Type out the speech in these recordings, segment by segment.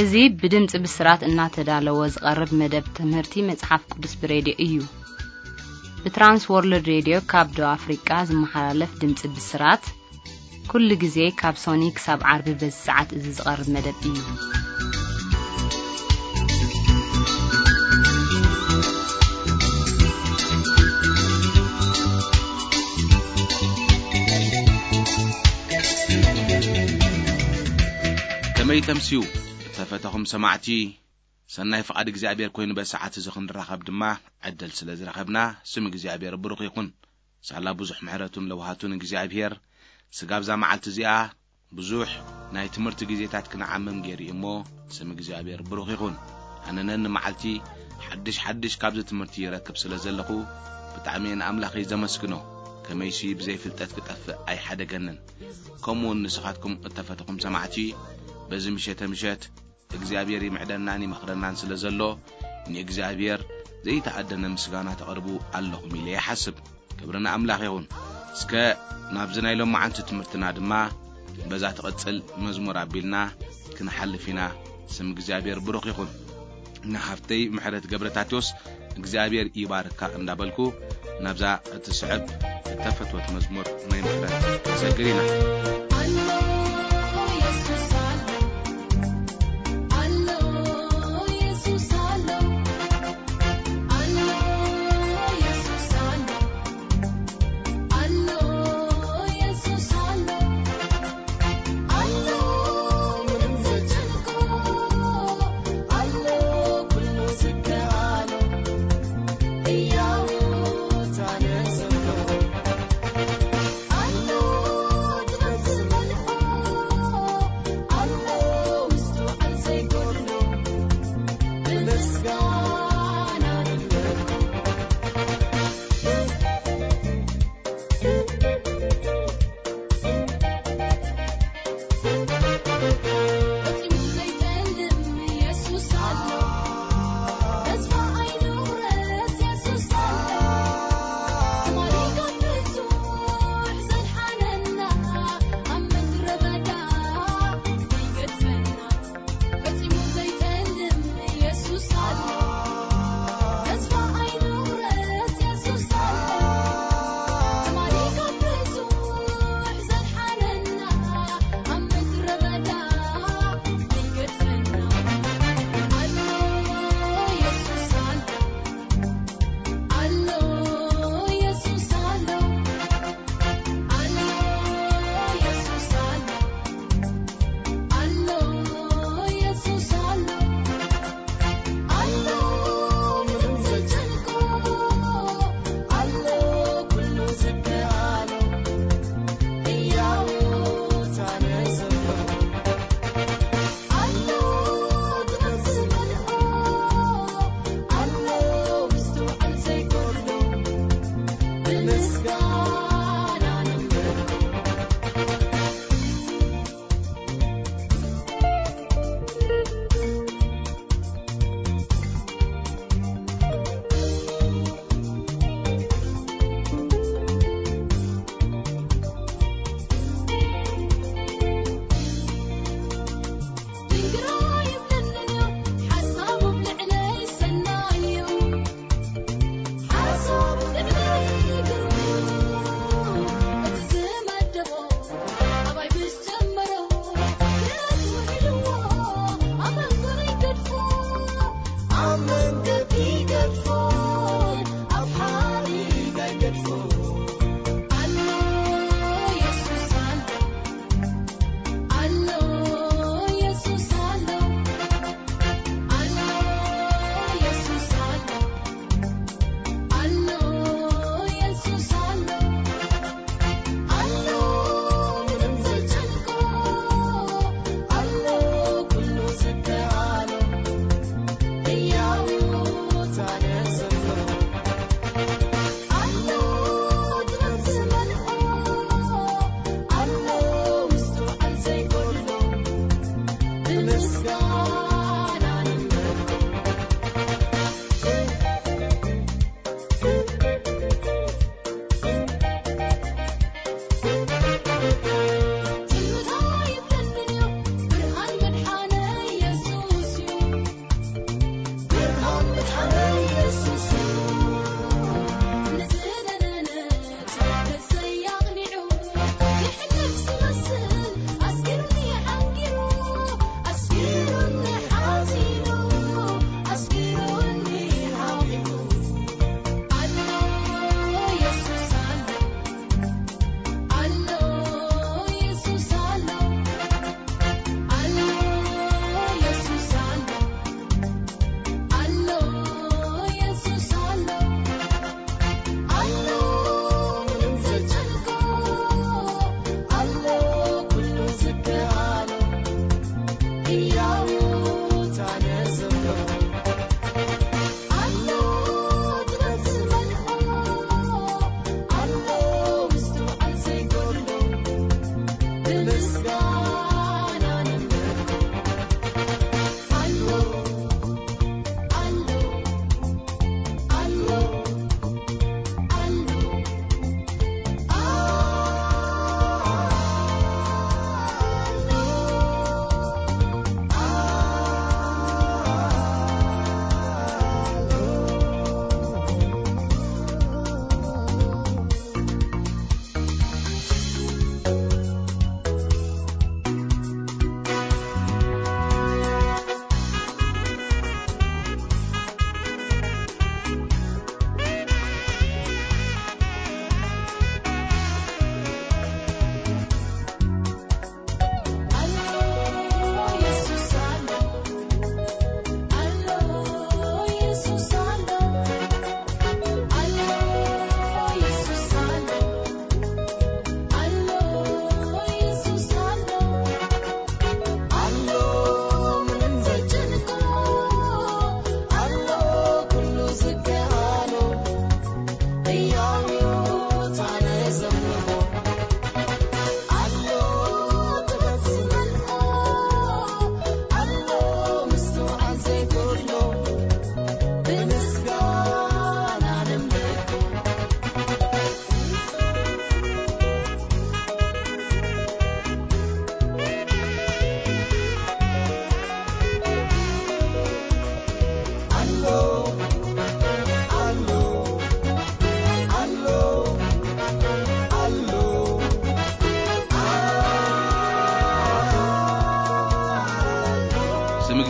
እዚ ብድምጺ ብስራት እናተዳለወ ዝቐርብ መደብ ትምህርቲ መጽሓፍ ቅዱስ ብሬድዮ እዩ። ብትራንስ ወርልድ ሬድዮ ካብ ደቡብ ኣፍሪቃ ዝመሓላለፍ ድምጺ ብስራት፣ ኩሉ ግዜ ካብ ሶኒ ክሳብ ዓርቢ በዚ ሰዓት እዚ ዝቐርብ መደብ እዩ። ከመይ ተምስዩ? እተፈተኹም ሰማዕቲ፣ ሰናይ ፍቓድ እግዚኣብሔር ኮይኑ በዚ ሰዓት እዚ ክንራኸብ ድማ ዕድል ስለ ዝረኸብና፣ ስም እግዚኣብሔር ብሩኽ ይኹን። ሳላ ብዙሕ ምሕረቱን ለውሃቱን እግዚኣብሔር፣ ስጋብ እዛ መዓልቲ እዚኣ ብዙሕ ናይ ትምህርቲ ግዜታት ክንዓምም ገይሩ እዩ እሞ፣ ስም እግዚኣብሔር ብሩኽ ይኹን። ኣነ ነኒ መዓልቲ ሓድሽ ሓድሽ ካብዚ ትምህርቲ ይረክብ ስለ ዘለኹ፣ ብጣዕሚ እየ ንኣምላኸይ ዘመስግኖ። ከመይሲ ብዘይ ፍልጠት ክጠፍእ ኣይሓደገንን። ከምኡ እውን ንስኻትኩም እተፈተኹም ሰማዕቲ፣ በዚ ምሸተ ምሸት እግዚኣብሔር ይምዕደናን ይመኽረናን ስለ ዘሎ፣ ንእግዚኣብሔር ዘይተኣደነ ምስጋና ተቕርቡ ኣለኹም ኢለ ይሓስብ። ክብሪ ንኣምላኽ ይኹን። እስከ ናብዚ ናይ ሎማዓንቲ ትምህርትና ድማ በዛ ትቕጽል መዝሙር ኣቢልና ክንሓልፍ ኢና። ስም እግዚኣብሔር ብሩኽ ይኹን። ንሓፍተይ ምሕረት ገብረታቴዎስ እግዚኣብሔር ይባርካ እንዳበልኩ፣ ናብዛ እትስዕብ እተፈትወት መዝሙር ናይ ምሕረት ክንሰግር ኢና። ኣሎ የሱስ ኣሎ፣ ኣሎ የሱስ ኣሎ፣ ኣሎ የሱስ ኣሎ፣ ኣሎ የሱስ ኣሎ። ኣሎ ምንም ዘይጨንቆ፣ ኣሎ ኩሉ ዝከኣሎ፣ ህያው ታነ ዘሎ። ኣሎ ጥበብ ዝመልኦ፣ ኣሎ ምስትውዓል ዘይጎድሎ፣ ብምስጋና ንመልኦ።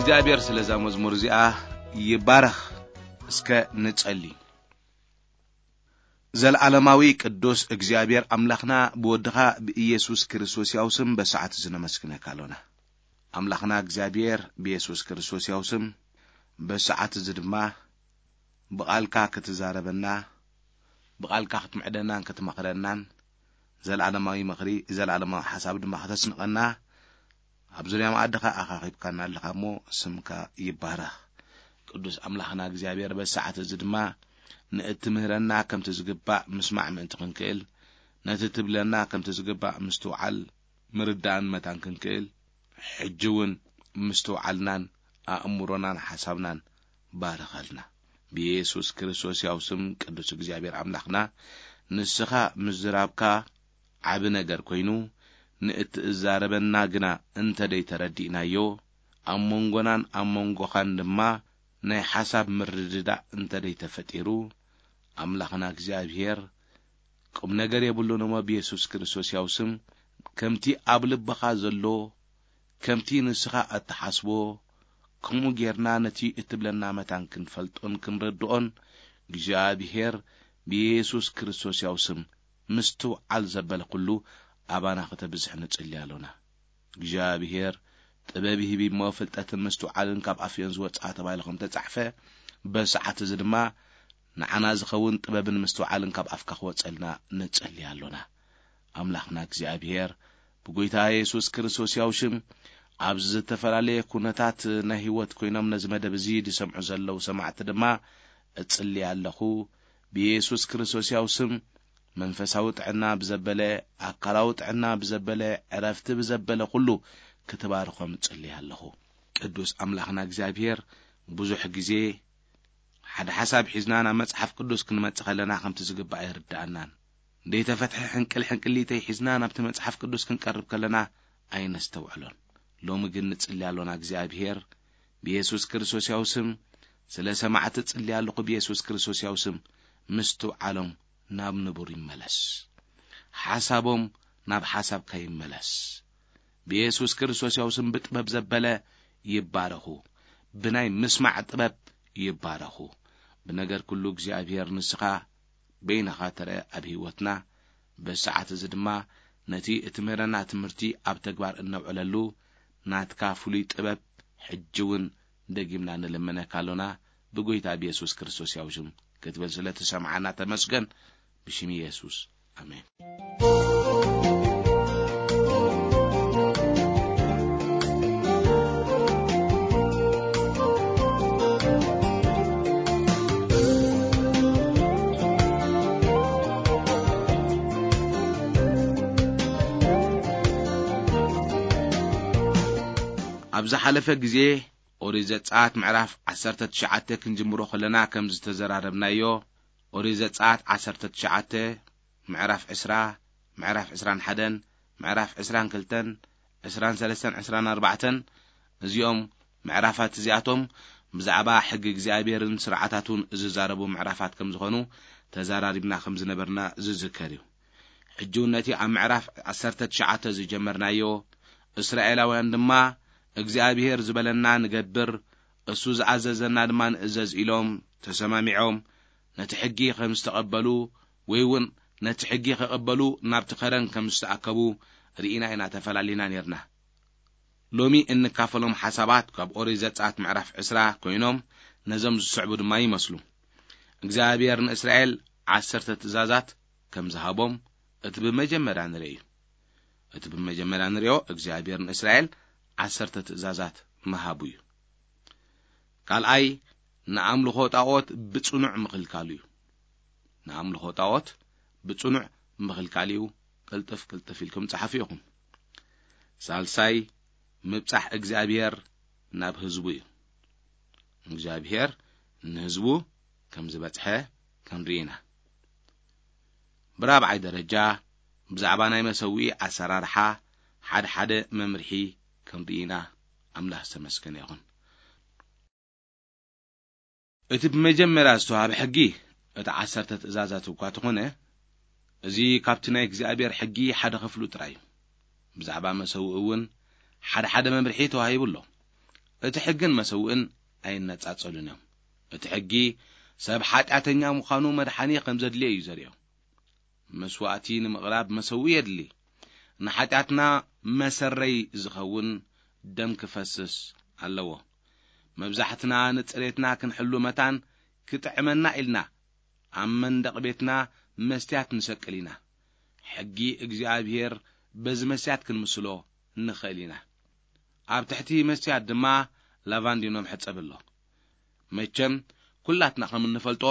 እግዚኣብሔር ስለዛ መዝሙር እዚኣ ይባረኽ። እስከ ንጸሊ። ዘለዓለማዊ ቅዱስ እግዚኣብሔር ኣምላኽና፣ ብወድኻ ብኢየሱስ ክርስቶስ ያው ስም በሰዓት እዚ ነመስግነካ ኣሎና። ኣምላኽና እግዚኣብሔር ብኢየሱስ ክርስቶስ ያው ስም በሰዓት እዚ ድማ ብቓልካ ክትዛረበና፣ ብቓልካ ክትምዕደናን ክትመኽረናን፣ ዘለዓለማዊ ምኽሪ፣ ዘለዓለማዊ ሓሳብ ድማ ከተስንቐና፣ ኣብ ዙርያ መኣድኻ ኣኻኺብካና ኣለኻ እሞ፣ ስምካ ይባረኽ። ቅዱስ ኣምላኽና እግዚኣብሔር፣ በዚ ሰዓት እዚ ድማ ንእትምህረና ከምቲ ዝግባእ ምስማዕ ምእንቲ ክንክእል፣ ነቲ ትብለና ከምቲ ዝግባእ ምስትውዓል፣ ምርዳእን መታን ክንክእል፣ ሕጂ እውን ምስትውዓልናን ኣእምሮናን ሓሳብናን ባርኸልና። ብየሱስ ክርስቶስ ያው ስም ቅዱስ እግዚኣብሔር ኣምላኽና፣ ንስኻ ምዝራብካ ዓቢ ነገር ኮይኑ፣ ንእትዛረበና ግና እንተ ደይተረዲእናዮ፣ ኣብ መንጎናን ኣብ መንጎኻን ድማ ናይ ሓሳብ ምርድዳእ እንተ ደይተፈጢሩ፣ ኣምላኽና እግዚኣብሔር ቁም ነገር የብሉን እሞ፣ ብየሱስ ክርስቶስ ያው ስም፣ ከምቲ ኣብ ልብኻ ዘሎ፣ ከምቲ ንስኻ እትሓስቦ፣ ከምኡ ጌርና ነቲ እትብለና መታን ክንፈልጦን ክንርድኦን፣ እግዚኣብሔር ብየሱስ ክርስቶስ ያው ስም፣ ምስትውዓል ዘበለ ኩሉ ኣባና ከተብዝሕ ንጽሊ ኣሎና። እግዚኣብሔር ጥበብ ይህብ እሞ፣ ፍልጠትን ምስትውዓልን ካብ ኣፍዮን ዝወጽኣ ተባሂሉ ከም ተጻሕፈ፣ በዚ ሰዓት እዚ ድማ ንዓና ዝኸውን ጥበብን ምስትውዓልን ካብ ኣፍካ ክወጸልና ንጸሊ ኣሎና። ኣምላኽና እግዚኣብሔር፣ ብጎይታ የሱስ ክርስቶስ ያው ሽም፣ ኣብዚ ዝተፈላለየ ኩነታት ናይ ህይወት ኮይኖም ነዚ መደብ እዚ ዝሰምዑ ዘለዉ ሰማዕቲ ድማ እጽሊ ኣለኹ። ብየሱስ ክርስቶስ ያው ስም፣ መንፈሳዊ ጥዕና ብዘበለ፣ ኣካላዊ ጥዕና ብዘበለ፣ ዕረፍቲ ብዘበለ ኩሉ ክትባርኾም እጽሊ ኣለኹ። ቅዱስ ኣምላኽና እግዚኣብሔር፣ ብዙሕ ግዜ ሓደ ሓሳብ ሒዝና ናብ መጽሓፍ ቅዱስ ክንመጽእ ከለና ከምቲ ዝግባእ ኣይርድኣናን። ዘይተፈትሐ ሕንቅል ሕንቅሊተይ ሒዝና ናብቲ መጽሓፍ ቅዱስ ክንቀርብ ከለና ኣይነስተውዕሎን። ሎሚ ግን ንጽሊ ኣሎና። እግዚኣብሔር ብየሱስ ክርስቶስ ያው ስም፣ ስለ ሰማዕቲ ጽሊ ኣለኹ። ብየሱስ ክርስቶስ ያው ስም፣ ምስትውዓሎም ናብ ንቡር ይመለስ። ሓሳቦም ናብ ሓሳብካ ይመለስ። ብየሱስ ክርስቶስ ያው ስም ብጥበብ ዘበለ ይባረኹ። ብናይ ምስማዕ ጥበብ ይባረኹ። ብነገር ኩሉ እግዚኣብሔር ንስኻ በይንኻ ተረአ ኣብ ህይወትና። በዚ ሰዓት እዚ ድማ ነቲ እትምህረና ትምህርቲ ኣብ ተግባር እነውዕለሉ ናትካ ፍሉይ ጥበብ ሕጂ እውን ደጊምና ንልምነካ ኣሎና። ብጎይታ ብየሱስ ክርስቶስ ያው ሽም ክትብል ስለ ትሰምዓና ተመስገን። ብሽም የሱስ፣ ኣሜን። ኣብ ዝሓለፈ ግዜ ኦሪት ዘጸኣት ምዕራፍ ዓሰርተ ትሽዓተ ክንጅምሮ ከለና ከም ዝተዘራረብናዮ፣ ኦሪት ዘጸኣት ዓሰርተ ትሽዓተ፣ ምዕራፍ ዕስራ፣ ምዕራፍ ዕስራን ሓደን፣ ምዕራፍ ዕስራን ክልተን፣ ዕስራን ሰለስተን፣ ዕስራን ኣርባዕተን፣ እዚኦም ምዕራፋት እዚኣቶም ብዛዕባ ሕጊ እግዚኣብሔርን ስርዓታቱን ዝዛረቡ ምዕራፋት ከም ዝኾኑ ተዛራሪብና ከም ዝነበርና ዝዝከር እዩ። ሕጂ እውን ነቲ ኣብ ምዕራፍ ዓሰርተ ትሽዓተ ዝጀመርናዮ፣ እስራኤላውያን ድማ እግዚኣብሔር ዝበለና ንገብር፣ እሱ ዝኣዘዘና ድማ ንእዘዝ ኢሎም ተሰማሚዖም፣ ነቲ ሕጊ ከም ዝተቐበሉ ወይ እውን ነቲ ሕጊ ክቕበሉ ናብቲ ከረን ከም ዝተኣከቡ ርኢና ኢና ተፈላሊና ኔርና። ሎሚ እንካፈሎም ሓሳባት ካብ ኦሪት ዘጸኣት ምዕራፍ ዕስራ ኮይኖም ነዞም ዝስዕቡ ድማ ይመስሉ። እግዚኣብሔር ንእስራኤል ዓሰርተ ትእዛዛት ከም ዝሃቦም እቲ ብመጀመርያ ንርኢ እዩ። እቲ ብመጀመርያ ንሪኦ እግዚኣብሔር ንእስራኤል ዓሰርተ ትእዛዛት ምሃቡ እዩ። ካልኣይ፣ ንኣምልኾ ጣዖት ብጽኑዕ ምኽልካሉ እዩ። ንኣምልኾ ጣዖት ብጽኑዕ ምኽልካል እዩ። ቅልጥፍ ቅልጥፍ ኢልኩም ጸሓፉ ኢኹም። ሳልሳይ፣ ምብጻሕ እግዚኣብሔር ናብ ህዝቡ እዩ። እግዚኣብሔር ንህዝቡ ከም ዝበጽሐ ክንርኢ ኢና። ብራብዓይ ደረጃ፣ ብዛዕባ ናይ መሰውኢ ኣሰራርሓ ሓደ ሓደ መምርሒ ክንርኢ ኢና። ኣምላኽ ዝተመስገነ ይኹን። እቲ ብመጀመርያ ዝተዋህበ ሕጊ እቲ ዓሰርተ ትእዛዛት እኳ ተኾነ፣ እዚ ካብቲ ናይ እግዚኣብሔር ሕጊ ሓደ ክፍሉ ጥራይ እዩ። ብዛዕባ መሰውኢ እውን ሓደ ሓደ መምርሒ ተዋሂቡ ኣሎ። እቲ ሕግን መሰውእን ኣይነጻጸሉን እዮም። እቲ ሕጊ ሰብ ሓጢኣተኛ ምዃኑ መድሓኒ ከም ዘድልዮ እዩ ዘርእዮ። መስዋእቲ ንምቕራብ መሰውእ የድሊ። ንሓጢኣትና መሰረይ ዝኸውን ደም ክፈስስ ኣለዎ። መብዛሕትና ንጽሬትና ክንሕሉ መታን ክጥዕመና ኢልና ኣብ መንደቕ ቤትና መስትያት ንሰቅል ኢና። ሕጊ እግዚኣብሔር በዚ መስትያት ክንምስሎ ንኽእል ኢና። ኣብ ትሕቲ መስትያት ድማ ላቫንዲኖ መሕጸቢ ኣሎ። መቸም ኩላትና ከም እንፈልጦ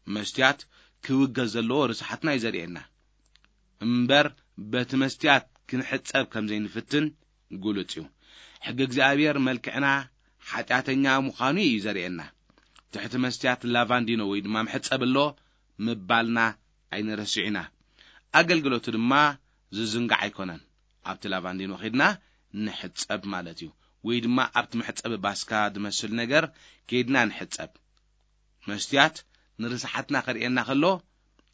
መስትያት ክውገዝ ዘለዎ ርስሓትና እዩ ዘርእየና። እምበር በቲ መስትያት ክንሕጸብ ከም ዘይንፍትን ግሉጽ እዩ። ሕጊ እግዚኣብሔር መልክዕና ሓጢኣተኛ ምዃኑ እዩ ዘርእየና። ትሕቲ መስትያት ላቫንዲኖ ወይ ድማ መሕጸቢ ኣሎ ምባልና ኣይንረስዕ ኢና። ኣገልግሎቱ ድማ ዝዝንጋዕ ኣይኮነን። ኣብቲ ላቫንዲኖ ኸድና ንሕጸብ ማለት እዩ። ወይ ድማ ኣብቲ መሕጸቢ ባስካ ዝመስል ነገር ከይድና ንሕጸብ። መስትያት ንርስሓትና ከርእየና ከሎ፣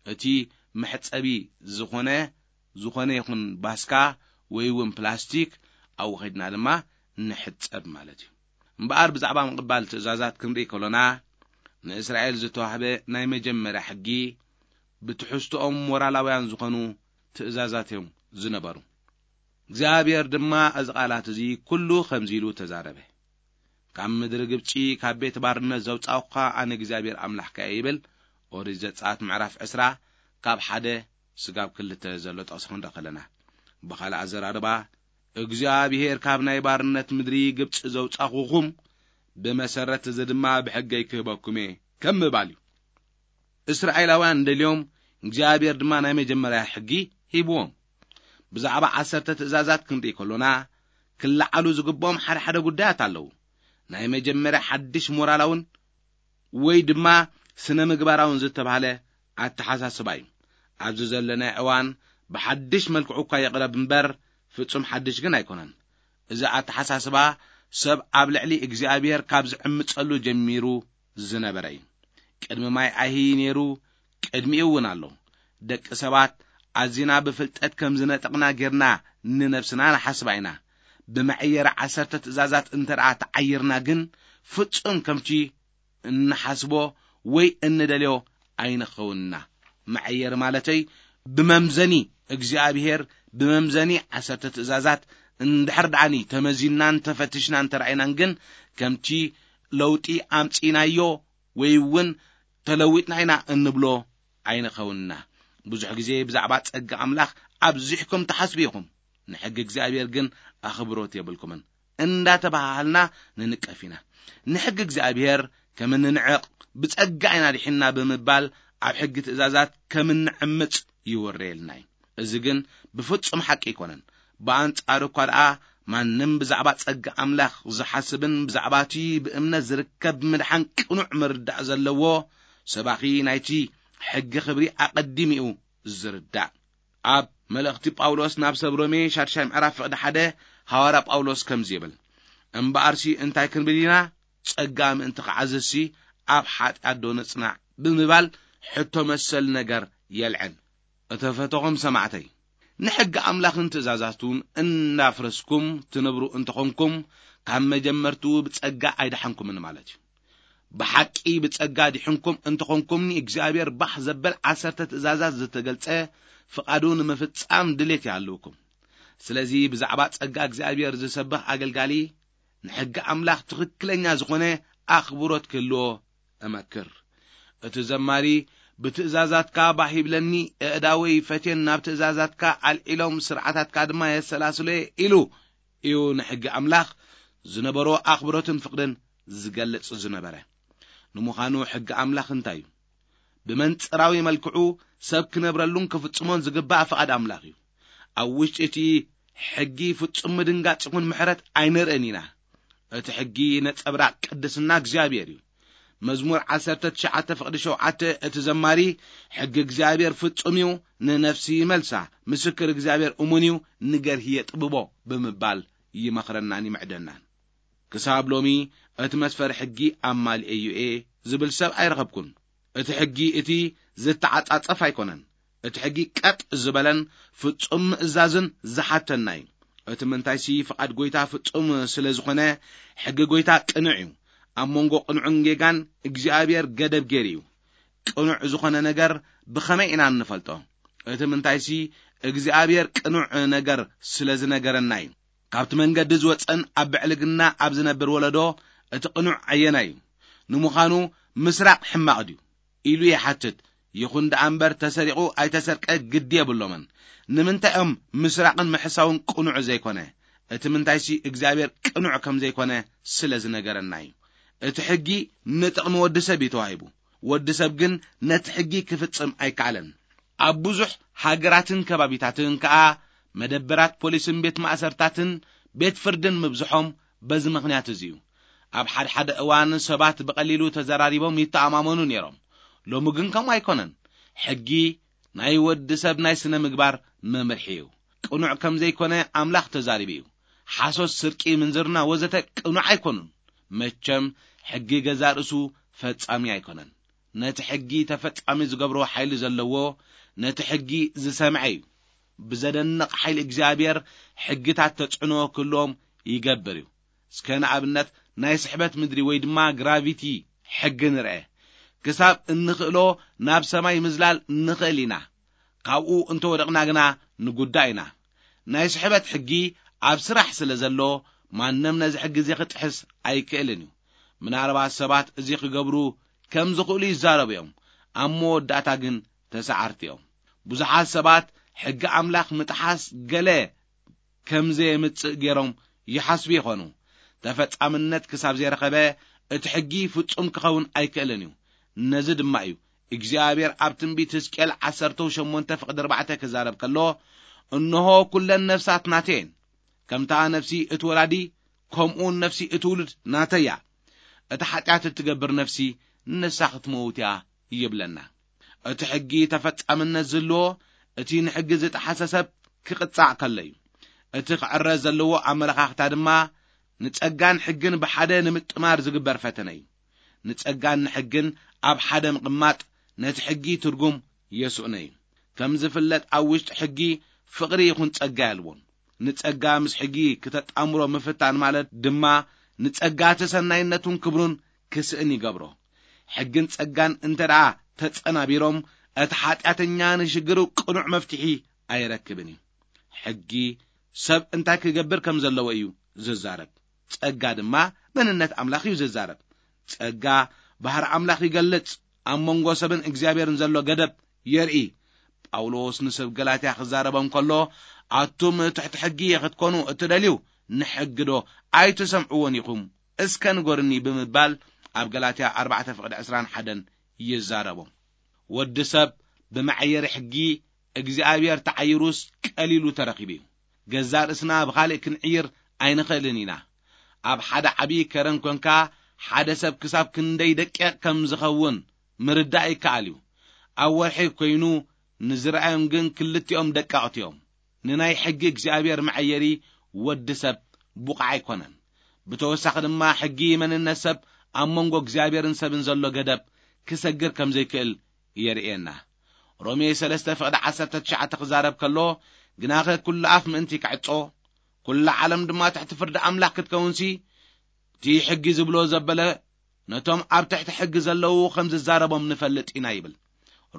እቲ መሕጸቢ ዝኾነ፣ ዝኾነ ይኹን ባስካ ወይ እውን ፕላስቲክ ኣብኡ ኸድና ድማ ንሕጸብ ማለት እዩ። እምበኣር ብዛዕባ ምቕባል ትእዛዛት ክንርኢ ከሎና፣ ንእስራኤል ዝተዋህበ ናይ መጀመርያ ሕጊ ብትሕዝቶኦም ሞራላውያን ዝኾኑ ትእዛዛት እዮም ዝነበሩ። እግዚኣብሔር ድማ እዚ ቃላት እዚ ኩሉ ከምዚ ኢሉ ተዛረበ። ካብ ምድሪ ግብጺ፣ ካብ ቤት ባርነት ዘውጻእኩኻ ኣነ እግዚኣብሔር ኣምላኽካ እየ ይብል። ኦሪት ዘጸኣት ምዕራፍ ዕስራ ካብ ሓደ ስጋብ ክልተ ዘሎ ጥቕሲ ክንርኢ ከለና፣ ብኻልእ ኣዘራርባ፣ እግዚኣብሔር ካብ ናይ ባርነት ምድሪ ግብጺ ዘውጻኹኹም ብመሰረት እዚ ድማ ብሕገይ ክህበኩም እየ ከም ምባል እዩ። እስራኤላውያን እንደልዮም እግዚኣብሔር ድማ ናይ መጀመርያ ሕጊ ሂብዎም። ብዛዕባ ዓሰርተ ትእዛዛት ክንርኢ ከሎና፣ ክለዓሉ ዝግብኦም ሓደ ሓደ ጉዳያት ኣለዉ። ናይ መጀመርያ ሓድሽ ሞራላውን ወይ ድማ ስነ ምግባራውን ዝተባህለ ኣተሓሳስባ እዩ። ኣብዚ ዘለናዮ እዋን ብሓድሽ መልክዑ እኳ ይቕረብ እምበር፣ ፍጹም ሓድሽ ግን ኣይኮነን። እዚ ኣተሓሳስባ ሰብ ኣብ ልዕሊ እግዚኣብሔር ካብ ዝዕምጸሉ ጀሚሩ ዝነበረ እዩ። ቅድሚ ማይ ኣይሂ ነይሩ፣ ቅድሚኡ እውን ኣሎ። ደቂ ሰባት ኣዚና ብፍልጠት ከም ዝነጠቕና ጌርና ንነብስና ንሓስባ ኢና። ብመዐየሪ ዓሰርተ ትእዛዛት እንተ ደኣ ተዓይርና ግን፣ ፍጹም ከምቲ እንሓስቦ ወይ እንደልዮ ኣይንኸውንና። መዐየሪ ማለተይ፣ ብመምዘኒ እግዚኣብሔር፣ ብመምዘኒ ዓሰርተ ትእዛዛት እንድሕር ደኣኒ ተመዚንናን ተፈትሽናን ተራእይናን ግን፣ ከምቲ ለውጢ ኣምጺእናዮ ወይ እውን ተለዊጥና ኢና እንብሎ ኣይንኸውንና። ብዙሕ ግዜ ብዛዕባ ጸጋ ኣምላኽ ኣብዚሕኩም ትሓስቡ ኢኹም፣ ንሕጊ እግዚኣብሔር ግን ኣኽብሮት የብልኩምን እንዳተባሃሃልና ንንቀፍ ኢና። ንሕጊ እግዚኣብሔር ከም እንንዕቕ፣ ብጸጋ ኢና ድሒንና ብምባል ኣብ ሕጊ ትእዛዛት ከም እንዕምጽ ይወረየልና እዩ። እዚ ግን ብፍጹም ሓቂ ኣይኮነን። ብኣንጻሩ እኳ ደኣ ማንም ብዛዕባ ጸጋ ኣምላኽ ዝሓስብን ብዛዕባ እቲ ብእምነት ዝርከብ ምድሓን ቅኑዕ ምርዳእ ዘለዎ ሰባኺ ናይቲ ሕጊ ክብሪ ኣቐዲሙ እዩ ዝርዳእ። ኣብ መልእኽቲ ጳውሎስ ናብ ሰብ ሮሜ ሻድሻይ ምዕራፍ ፍቕዲ ሓደ ሃዋርያ ጳውሎስ ከምዚ ይብል፣ "እምበኣርሲ እንታይ ክንብል ኢና? ጸጋ ምእንቲ ክዓዝዝሲ ኣብ ሓጢኣት ዶ ንጽናዕ?" ብምባል ሕቶ መሰል ነገር የልዕል። እተፈተኹም ሰማዕተይ፣ ንሕጊ ኣምላኽን ትእዛዛቱን እናፍረስኩም ትነብሩ እንተኾንኩም፣ ካብ መጀመርትኡ ብጸጋ ኣይደሓንኩምን ማለት እዩ። ብሓቂ ብጸጋ ዲሕንኩም እንተኾንኩም፣ ንእግዚኣብሔር ባህ ዘበል ዓሰርተ ትእዛዛት ዝተገልጸ ፍቓዱ ንምፍጻም ድሌት ይሃልውኩም። ስለዚ ብዛዕባ ጸጋ እግዚኣብሔር ዝሰብኽ ኣገልጋሊ ንሕጊ ኣምላኽ ትኽክለኛ ዝኾነ ኣኽብሮት ክህልዎ እመክር። እቲ ዘማሪ፣ "ብትእዛዛትካ ባህ ይብለኒ፣ ኣእዳወይ ፈትየን ናብ ትእዛዛትካ ኣልዒሎም፣ ስርዓታትካ ድማ የሰላስሎ እየ" ኢሉ እዩ ንሕጊ ኣምላኽ ዝነበሮ ኣኽብሮትን ፍቕርን ዝገልጽ ዝነበረ። ንምዃኑ ሕጊ ኣምላኽ እንታይ እዩ? ብመንጽራዊ መልክዑ ሰብ ክነብረሉን ክፍጽሞን ዝግባእ ፍቓድ ኣምላኽ እዩ። ኣብ ውሽጢ እቲ ሕጊ ፍጹም ምድንጋጽ ይኹን ምሕረት ኣይንርእን ኢና። እቲ ሕጊ ነጸብራቕ ቅድስና እግዚኣብሔር እዩ። መዝሙር ዓሰርተ ትሽዓተ ፍቕዲ ሸውዓተ፣ እቲ ዘማሪ፣ "ሕጊ እግዚኣብሔር ፍጹም እዩ፣ ንነፍሲ ይመልሳ፣ ምስክር እግዚኣብሔር እሙን እዩ፣ ንገርሂ የጥብቦ" ብምባል ይመኽረናን ይምዕደናን። ክሳብ ሎሚ እቲ መስፈሪ ሕጊ ኣማሊኤ እዩ እየ ዝብል ሰብ ኣይረኸብኩን። እቲ ሕጊ እቲ ዝተዓጻጸፍ ኣይኮነን። እቲ ሕጊ ቀጥ ዝበለን ፍጹም ምእዛዝን ዝሓተና እዩ። እቲ ምንታይሲ ፍቓድ ጐይታ ፍጹም ስለ ዝኾነ፣ ሕጊ ጐይታ ቅኑዕ እዩ። ኣብ መንጎ ቅኑዕን ጌጋን እግዚኣብሔር ገደብ ገይሩ እዩ። ቅኑዕ ዝኾነ ነገር ብኸመይ ኢና እንፈልጦ? እቲ ምንታይሲ እግዚኣብሔር ቅኑዕ ነገር ስለ ዝነገረና እዩ። ካብቲ መንገዲ ዝወጸን ኣብ ብዕልግና ኣብ ዝነብር ወለዶ እቲ ቅኑዕ ኣየናይ እዩ? ንምዃኑ ምስራቕ ሕማቕ ድዩ? ኢሉ ይሓትት። ይኹን ደኣ እምበር ተሰሪቑ ኣይተሰርቀ ግዲ የብሎምን። ንምንታይ እዮም ምስራቕን ምሕሳውን ቅኑዕ ዘይኮነ? እቲ ምንታይሲ እግዚኣብሔር ቅኑዕ ከም ዘይኮነ ስለ ዝነገረና እዩ። እቲ ሕጊ ንጥቕሚ ወዲ ሰብ እዩ ተዋሂቡ። ወዲ ሰብ ግን ነቲ ሕጊ ክፍጽም ኣይከኣለን። ኣብ ብዙሕ ሃገራትን ከባቢታትን ከኣ መደበራት ፖሊስን ቤት ማእሰርታትን ቤት ፍርድን ምብዝሖም በዚ ምኽንያት እዚ እዩ። ኣብ ሓድሓደ እዋን ሰባት ብቐሊሉ ተዘራሪቦም ይተኣማመኑ ነይሮም። ሎሚ ግን ከምኡ ኣይኮነን። ሕጊ ናይ ወዲ ሰብ ናይ ስነ ምግባር መምርሒ እዩ። ቅኑዕ ከም ዘይኮነ ኣምላኽ ተዛሪቡ እዩ። ሓሶት፣ ስርቂ፣ ምንዝርና ወዘተ ቅኑዕ ኣይኮኑን። መቸም ሕጊ ገዛ ርእሱ ፈጻሚ ኣይኮነን። ነቲ ሕጊ ተፈጻሚ ዝገብሮ ሓይሊ ዘለዎ ነቲ ሕጊ ዝሰምዐ እዩ። ብዘደንቕ ሓይሊ እግዚኣብሔር ሕግታት ተጽዕኖ ክህልዎም ይገብር እዩ። እስከ ንኣብነት ናይ ስሕበት ምድሪ ወይ ድማ ግራቪቲ ሕጊ ንርአ። ክሳብ እንኽእሎ ናብ ሰማይ ምዝላል ንኽእል ኢና። ካብኡ እንተወደቕና ግና ንጉዳእ ኢና። ናይ ስሕበት ሕጊ ኣብ ስራሕ ስለ ዘሎ ማንም ነዚ ሕጊ እዚ ክጥሕስ ኣይክእልን እዩ። ምናልባት ሰባት እዚ ክገብሩ ከም ዝኽእሉ ይዛረቡ እዮም። ኣብ መወዳእታ ግን ተሳዓርቲ እዮም። ብዙሓት ሰባት ሕጊ ኣምላኽ ምጥሓስ ገለ ከም ዘየምጽእ ገይሮም ይሓስቡ ይኾኑ። ተፈጻምነት ክሳብ ዘይረኸበ እቲ ሕጊ ፍጹም ክኸውን ኣይክእልን እዩ። ነዚ ድማ እዩ እግዚኣብሔር ኣብ ትንቢት ሕዝቅኤል ዓሰርተ ሸሞንተ ፍቕዲ ኣርባዕተ ክዛረብ ከሎ፣ "እንሆ ኩለን ነፍሳት ናተየን፣ ከምታ ነፍሲ እቲ ወላዲ ከምኡውን ነፍሲ እቲ ውሉድ ናተያ፣ እታ ሓጢኣት እትገብር ነፍሲ ንሳ ክትመውት እያ" ይብለና። እቲ ሕጊ ተፈጻምነት ዝህልዎ እቲ ንሕጊ ዝጠሓሰ ሰብ ክቕጻዕ ከሎ እዩ። እቲ ክዕረ ዘለዎ ኣመለኻኽታ ድማ ንጸጋን ሕግን ብሓደ ንምጥማር ዝግበር ፈተነ እዩ። ንጸጋን ንሕግን ኣብ ሓደ ምቕማጥ ነቲ ሕጊ ትርጉም የስእኖ እዩ። ከም ዝፍለጥ ኣብ ውሽጢ ሕጊ ፍቕሪ ይኹን ጸጋ የልቦን። ንጸጋ ምስ ሕጊ ክተጣምሮ ምፍታን ማለት ድማ ንጸጋ እቲ ሰናይነቱን ክብሩን ክስእን ይገብሮ። ሕግን ጸጋን እንተ ደኣ ተጸናቢሮም እቲ ሓጢኣተኛ ንሽግሩ ቅኑዕ መፍትሒ ኣይረክብን እዩ። ሕጊ ሰብ እንታይ ክገብር ከም ዘለዎ እዩ ዝዛረብ። ጸጋ ድማ መንነት ኣምላኽ እዩ ዝዛረብ። ጸጋ ባህሪ ኣምላኽ ይገልጽ፣ ኣብ መንጎ ሰብን እግዚኣብሔርን ዘሎ ገደብ የርኢ። ጳውሎስ ንሰብ ገላትያ ክዛረቦም ከሎ፣ "ኣቱም ትሕቲ ሕጊ ክትኮኑ እትደልዩ ንሕጊ ዶ ኣይትሰምዕዎን ኢኹም? እስከ ንገሩኒ" ብምባል ኣብ ገላትያ ኣርባዕተ ፍቕዲ ዕስራን ሓደን ይዛረቦም። ወዲ ሰብ ብመዐየሪ ሕጊ እግዚኣብሔር ተዓይሩስ ቀሊሉ ተረኺቡ እዩ። ገዛእ ርእስና ብኻልእ ክንዕይር ኣይንኽእልን ኢና። ኣብ ሓደ ዓብዪ ከረን ኮንካ ሓደ ሰብ ክሳብ ክንደይ ደቂቕ ከም ዝኸውን ምርዳእ ይከኣል እዩ። ኣብ ወርሒ ኮይኑ ንዝረኣዮም ግን ክልቲኦም ደቀቕቲ እዮም። ንናይ ሕጊ እግዚኣብሔር መዐየሪ ወዲ ሰብ ብቑዕ ኣይኮነን። ብተወሳኺ ድማ ሕጊ መንነት ሰብ ኣብ መንጎ እግዚኣብሔርን ሰብን ዘሎ ገደብ ክሰግር ከም ዘይክእል የርእየና። ሮሜ ሰለስተ ፍቕዲ ዓሰርተ ትሽዓተ ክዛረብ ከሎ፣ "ግናኸ ኩሉ ኣፍ ምእንቲ ክዕጾ፣ ኩላ ዓለም ድማ ትሕቲ ፍርዲ ኣምላኽ ክትከውንሲ፣ እቲ ሕጊ ዝብሎ ዘበለ ነቶም ኣብ ትሕቲ ሕጊ ዘለዉ ከም ዝዛረቦም ንፈልጥ ኢና" ይብል።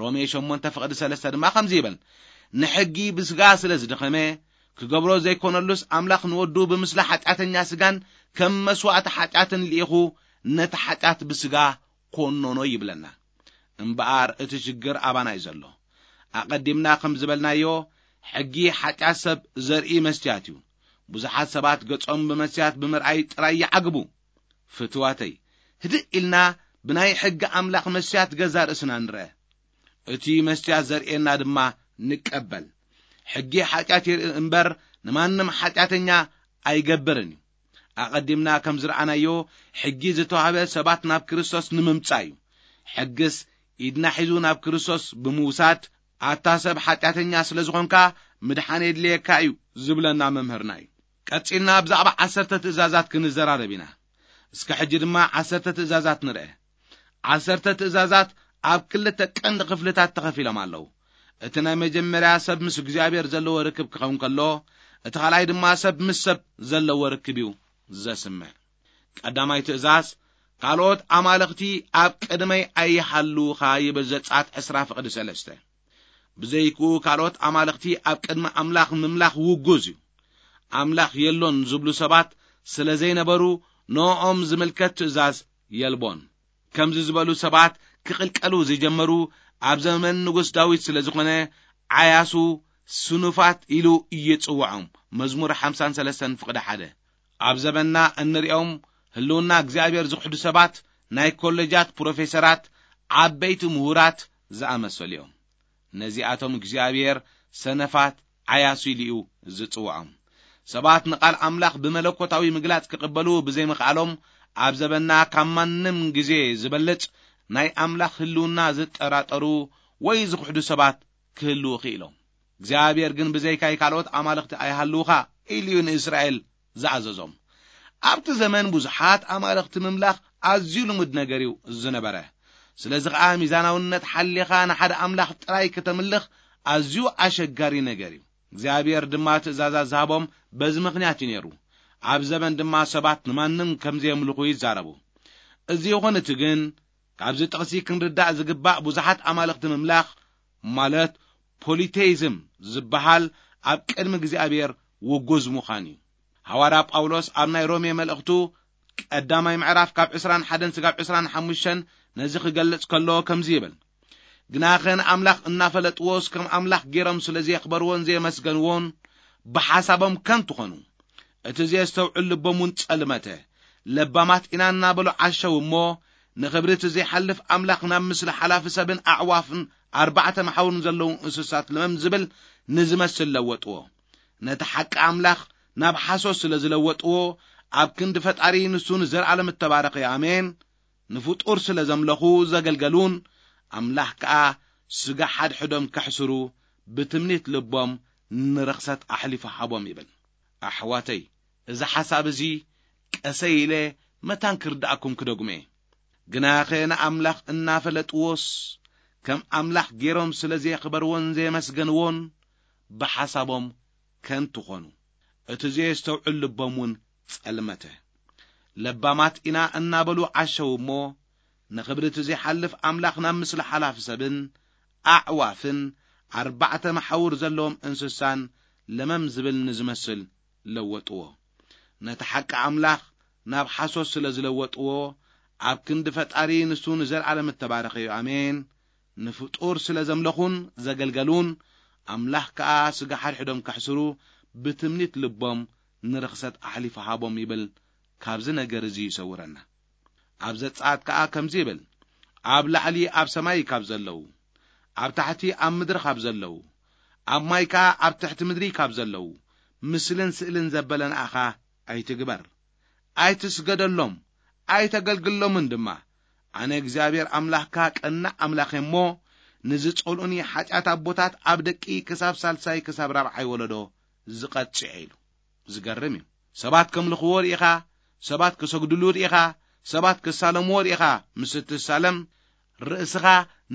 ሮሜ ሸሞንተ ፍቕዲ ሰለስተ ድማ ከምዚ ይብል፣ "ንሕጊ ብስጋ ስለ ዝደኸመ፣ ክገብሮ ዘይኮነሉስ ኣምላኽ ንወዱ ብምስሊ ሓጢኣተኛ ስጋን ከም መስዋእቲ ሓጢኣትን ልኢኹ ነቲ ሓጢኣት ብስጋ ኮነኖ" ይብለና። እምበኣር እቲ ሽግር ኣባና እዩ ዘሎ። ኣቐዲምና ከም ዝበልናዮ፣ ሕጊ ሓጢኣት ሰብ ዘርኢ መስትያት እዩ። ብዙሓት ሰባት ገጾም ብመስትያት ብምርኣይ ጥራይ ይዓግቡ። ፍትዋተይ፣ ህድእ ኢልና ብናይ ሕጊ ኣምላኽ መስትያት ገዛ ርእስና ንርአ። እቲ መስትያት ዘርእየና ድማ ንቀበል። ሕጊ ሓጢኣት የርኢ እምበር ንማንም ሓጢኣተኛ ኣይገብርን እዩ። ኣቐዲምና ከም ዝረኣናዮ፣ ሕጊ ዝተዋህበ ሰባት ናብ ክርስቶስ ንምምጻእ እዩ። ሕግስ ኢድና ሒዙ ናብ ክርስቶስ ብምውሳድ፣ "ኣታ ሰብ ሓጢኣተኛ ስለ ዝኾንካ ምድሓን የድልየካ እዩ" ዝብለና መምህርና እዩ። ቀጺልና ብዛዕባ ዓሰርተ ትእዛዛት ክንዘራረብ ኢና። እስከ ሕጂ ድማ ዓሰርተ ትእዛዛት ንርአ። ዓሰርተ ትእዛዛት ኣብ ክልተ ቀንዲ ክፍልታት ተኸፊሎም ኣለዉ። እቲ ናይ መጀመርያ ሰብ ምስ እግዚኣብሔር ዘለዎ ርክብ ክኸውን ከሎ፣ እቲ ካልኣይ ድማ ሰብ ምስ ሰብ ዘለዎ ርክብ እዩ ዘስምዕ። ቀዳማይ ትእዛዝ፣ "ካልኦት ኣማልኽቲ ኣብ ቅድመይ ኣይሃልዉኻ" ይብል ዘጸኣት ዕስራ ፍቕዲ ሰለስተ። ብዘይክኡ ካልኦት ኣማልኽቲ ኣብ ቅድሚ ኣምላኽ ምምላኽ ውጉዝ እዩ። ኣምላኽ የሎን ዝብሉ ሰባት ስለ ዘይነበሩ፣ ንኦም ዝምልከት ትእዛዝ የልቦን። ከምዚ ዝበሉ ሰባት ክቕልቀሉ ዝጀመሩ ኣብ ዘመን ንጉስ ዳዊት ስለ ዝኾነ፣ ዓያሱ፣ ስኑፋት ኢሉ ይጽውዖም። መዝሙር ሓምሳን ሰለስተን ፍቕዲ ሓደ። ኣብ ዘመንና እንሪኦም ህልውና እግዚኣብሔር ዝኽሕዱ ሰባት ናይ ኮሌጃት ፕሮፌሰራት፣ ዓበይቲ ምሁራት ዝኣመሰሉ እዮም። ነዚኣቶም እግዚኣብሔር ሰነፋት፣ ዓያሱ ኢሉ እዩ ዝጽውዖም። ሰባት ንቓል ኣምላኽ ብመለኮታዊ ምግላጽ ክቕበሉ ብዘይምኽኣሎም፣ ኣብ ዘበንና ካብ ማንም ግዜ ዝበልጽ ናይ ኣምላኽ ህልውና ዝጠራጠሩ ወይ ዝኽሕዱ ሰባት ክህልዉ ክኢሎም። እግዚኣብሔር ግን "ብዘይካይ ካልኦት ኣማልኽቲ ኣይሃልዉኻ" ኢሉ እዩ ንእስራኤል ዝኣዘዞም። ኣብቲ ዘመን ብዙሓት ኣማልኽቲ ምምላኽ ኣዝዩ ልሙድ ነገር እዩ ዝነበረ። ስለዚ ኸኣ ሚዛናውነት ሓሊኻ ንሓደ ኣምላኽ ጥራይ ከተምልኽ ኣዝዩ ኣሸጋሪ ነገር እዩ። እግዚኣብሔር ድማ ትእዛዛት ዝሃቦም በዚ ምኽንያት እዩ ነይሩ። ኣብ ዘበን ድማ ሰባት ንማንም ከም ዘየምልኹ ይዛረቡ። እዚ ይኹን እቲ ግን፣ ካብዚ ጥቕሲ ክንርዳእ ዝግባእ ብዙሓት ኣማልኽቲ ምምላኽ፣ ማለት ፖሊቴይዝም ዝበሃል፣ ኣብ ቅድሚ እግዚኣብሔር ውጉዝ ምዃን እዩ። ሃዋርያ ጳውሎስ ኣብ ናይ ሮሜ መልእኽቱ ቀዳማይ ምዕራፍ ካብ ዕስራን ሓደን ስጋብ ዕስራን ሓሙሽተን ነዚ ክገልጽ ከሎ ከምዚ ይብል፣ "ግናኸ ንኣምላኽ እናፈለጥዎስ ከም ኣምላኽ ገይሮም ስለ ዘየኽበርዎን ዘየመስገንዎን ብሓሳቦም ከንቱ ኾኑ፣ እቲ ዘየስተውዕል ልቦም እውን ጸልመተ፣ ለባማት ኢና እናበሉ ዓሸው እሞ፣ ንኽብሪ እቲ ዘይሓልፍ ኣምላኽ ናብ ምስሊ ሓላፊ ሰብን ኣዕዋፍን ኣርባዕተ መሓውርን ዘለዉ እንስሳት ለመም ዝብል ንዝመስል ለወጥዎ። ነቲ ሓቂ ኣምላኽ ናብ ሓሶት ስለ ዝለወጥዎ፣ ኣብ ክንዲ ፈጣሪ ንሱ ንዘለኣለም እተባረኸ እዩ። ኣሜን። ንፍጡር ስለ ዘምለኹ ዘገልገሉን፣ ኣምላኽ ከኣ ስጋ ሓድሕዶም ከሕስሩ ብትምኒት ልቦም ንርኽሰት ኣሕሊፉ ሃቦም" ይብል። ኣሕዋተይ፣ እዚ ሓሳብ እዚ ቀሰይ ኢለ መታን ክርድኣኩም ክደግሞ እየ። ግናኸ ንኣምላኽ እናፈለጥዎስ፣ ከም ኣምላኽ ገይሮም ስለ ዘየኽበርዎን ዘየመስገንዎን፣ ብሓሳቦም ከንቱ ኾኑ። እቲ ዘየስተውዕል ልቦም እውን ጸልመተ። ለባማት ኢና እናበሉ ዓሸው እሞ፣ ንኽብሪ እቲ ዘይሓልፍ ኣምላኽ ናብ ምስሊ ሓላፊ ሰብን ኣዕዋፍን ኣርባዕተ መሓውር ዘለዎም እንስሳን ለመም ዝብል ንዝመስል ለወጥዎ። ነቲ ሓቂ ኣምላኽ ናብ ሓሶት ስለ ዝለወጥዎ፣ ኣብ ክንዲ ፈጣሪ ንሱ ንዘለኣለም እተባረኸ እዩ። ኣሜን። ንፍጡር ስለ ዘምለኹን ዘገልገሉን፣ ኣምላኽ ከኣ ስጋ ሓድሕዶም ከሕስሩ ብትምኒት ልቦም ንርኽሰት ኣሕሊፉ ሃቦም ይብል። ካብዚ ነገር እዚ ይሰውረና። ኣብ ዘጸኣት ከኣ ከምዚ ይብል፣ "ኣብ ላዕሊ ኣብ ሰማይ ካብ ዘለዉ፣ ኣብ ታሕቲ ኣብ ምድሪ ካብ ዘለዉ፣ ኣብ ማይ ከኣ ኣብ ትሕቲ ምድሪ ካብ ዘለዉ፣ ምስልን ስእልን ዘበለ ንኣኻ ኣይትግበር፣ ኣይትስገደሎም፣ ኣይተገልግሎምን ድማ። ኣነ እግዚኣብሔር ኣምላኽካ ቀናእ ኣምላኽ እየ እሞ፣ ንዝጸልኡኒ ሓጢኣት ኣቦታት ኣብ ደቂ ክሳብ ሳልሳይ ክሳብ ራብዓይ ወለዶ ዝቐጽዕ እየ" ኢሉ። ዝገርም እዩ። ሰባት ከምልኽዎ ርኢኻ፣ ሰባት ክሰግድሉ ርኢኻ፣ ሰባት ክሳለምዎ ርኢኻ ምስ እትሳለም፣ ርእስኻ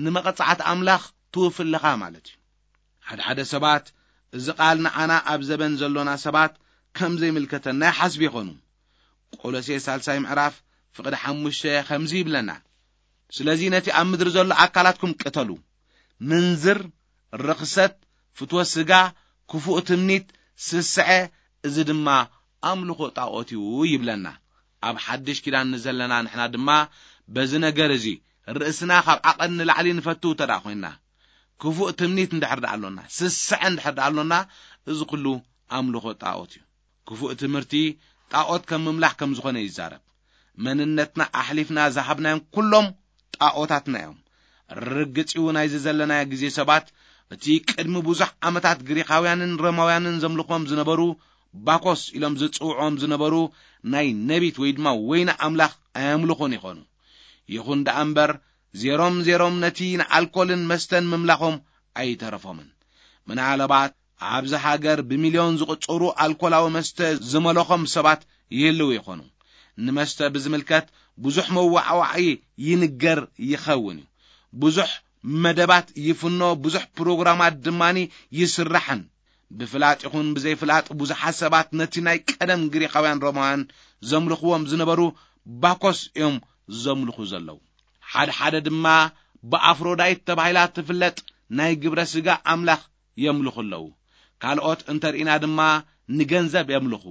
ንመቐጻዕቲ ኣምላኽ ትውፊ ኣለኻ ማለት እዩ። ሓደ ሓደ ሰባት እዚ ቃል ንዓና ኣብ ዘበን ዘሎና ሰባት ከም ዘይምልከተና ይሓስቡ ይኾኑ። ቆሎሴ ሳልሳይ ምዕራፍ ፍቕዲ ሓሙሽተ ከምዚ ይብለና፣ "ስለዚ ነቲ ኣብ ምድሪ ዘሎ ኣካላትኩም ቅተሉ፣ ምንዝር፣ ርኽሰት፣ ፍትወት ስጋ፣ ክፉእ ትምኒት፣ ስስዐ፣ እዚ ድማ ኣምልኾ ጣዖት እዩ" ይብለና። ኣብ ሓድሽ ኪዳን ንዘለና ንሕና ድማ በዚ ነገር እዚ ርእስና ካብ ዓቐን ንላዕሊ ንፈቱ እንተ ደኣ ኮይንና፣ ክፉእ ትምኒት እንድሕር ደኣ ኣሎና፣ ስስዐ እንድሕር ደኣ ኣሎና፣ እዚ ኩሉ ኣምልኾ ጣዖት እዩ። ክፉእ ትምህርቲ ጣዖት ከም ምምላኽ ከም ዝኾነ ይዛረብ። መንነትና ኣሕሊፍና ዝሃብናዮም ኩሎም ጣዖታትና እዮም። ርግጽ እዩ፣ ናይዚ ዘለናዮ ግዜ ሰባት፣ እቲ ቅድሚ ብዙሕ ዓመታት ግሪኻውያንን ሮማውያንን ዘምልኾም ዝነበሩ ባኮስ ኢሎም ዝጽውዖም ዝነበሩ ናይ ነቢት ወይ ድማ ወይኒ ኣምላኽ ኣየምልኹን ይኾኑ። ይኹን ደኣ እምበር፣ ዜሮም ዜሮም ነቲ ንኣልኮልን መስተን ምምላኾም ኣይተረፎምን። ምናልባት ኣብዚ ሃገር ብሚልዮን ዝቑጸሩ ኣልኮላዊ መስተ ዝመለኾም ሰባት ይህልዉ ይኾኑ። ንመስተ ብዝምልከት ብዙሕ መዋዕዋዒ ይንገር ይኸውን እዩ። ብዙሕ መደባት ይፍኖ፣ ብዙሕ ፕሮግራማት ድማኒ ይስራሕን። ብፍላጥ ይኹን ብዘይፍላጥ ብዙሓት ሰባት ነቲ ናይ ቀደም ግሪኻውያን ሮማውያን ዘምልኽዎም ዝነበሩ ባኮስ እዮም ዘምልኹ ዘለዉ። ሓደ ሓደ ድማ ብኣፍሮዳይት ተባሂላ ትፍለጥ ናይ ግብረ ስጋ ኣምላኽ የምልኹ ኣለዉ። ካልኦት እንተርኢና ድማ ንገንዘብ የምልኹ።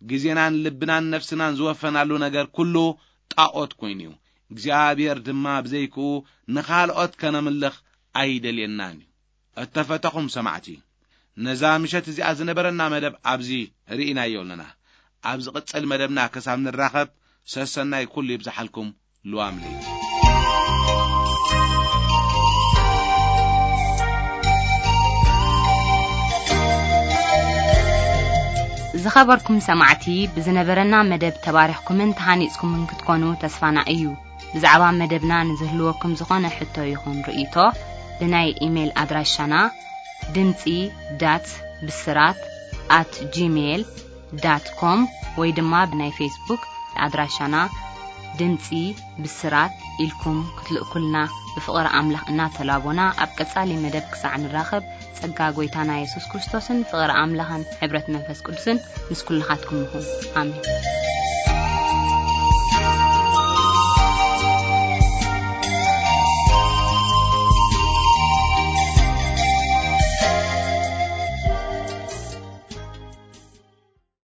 ግዜናን ልብናን ነፍስናን ዝወፈናሉ ነገር ኩሉ ጣኦት ኮይኑ እዩ። እግዚኣብሔር ድማ ብዘይክኡ ንኻልኦት ከነምልኽ ኣይደልየናን እዩ። እተፈተኹም ሰማዕቲ፣ ነዛ ምሸት እዚኣ ዝነበረና መደብ ኣብዚ ርኢናዮ ኣለና። ኣብ ዝቕጽል መደብና ክሳብ ንራኸብ፣ ሰሰናይ ኩሉ ይብዝሓልኩም። ልዋም ለይቲ። ዝኸበርኩም ሰማዕቲ፣ ብዝነበረና መደብ ተባሪኽኩምን ተሃኒጽኩምን ክትኮኑ ተስፋና እዩ። ብዛዕባ መደብና ንዝህልወኩም ዝኾነ ሕቶ ይኹን ርእይቶ፣ ብናይ ኢሜይል ኣድራሻና ድምጺ ዳት ብስራት ኣት ጂሜይል ዳት ኮም ወይ ድማ ብናይ ፌስቡክ ኣድራሻና ድምጺ ብስራት ኢልኩም ክትልእኩልና ብፍቕሪ ኣምላኽ እናተላቦና፣ ኣብ ቀጻሊ መደብ ክሳዕ ንራኸብ፣ ጸጋ ጐይታና የሱስ ክርስቶስን ፍቕሪ ኣምላኽን ሕብረት መንፈስ ቅዱስን ምስ ኩልኻትኩም ይኹን። ኣሜን።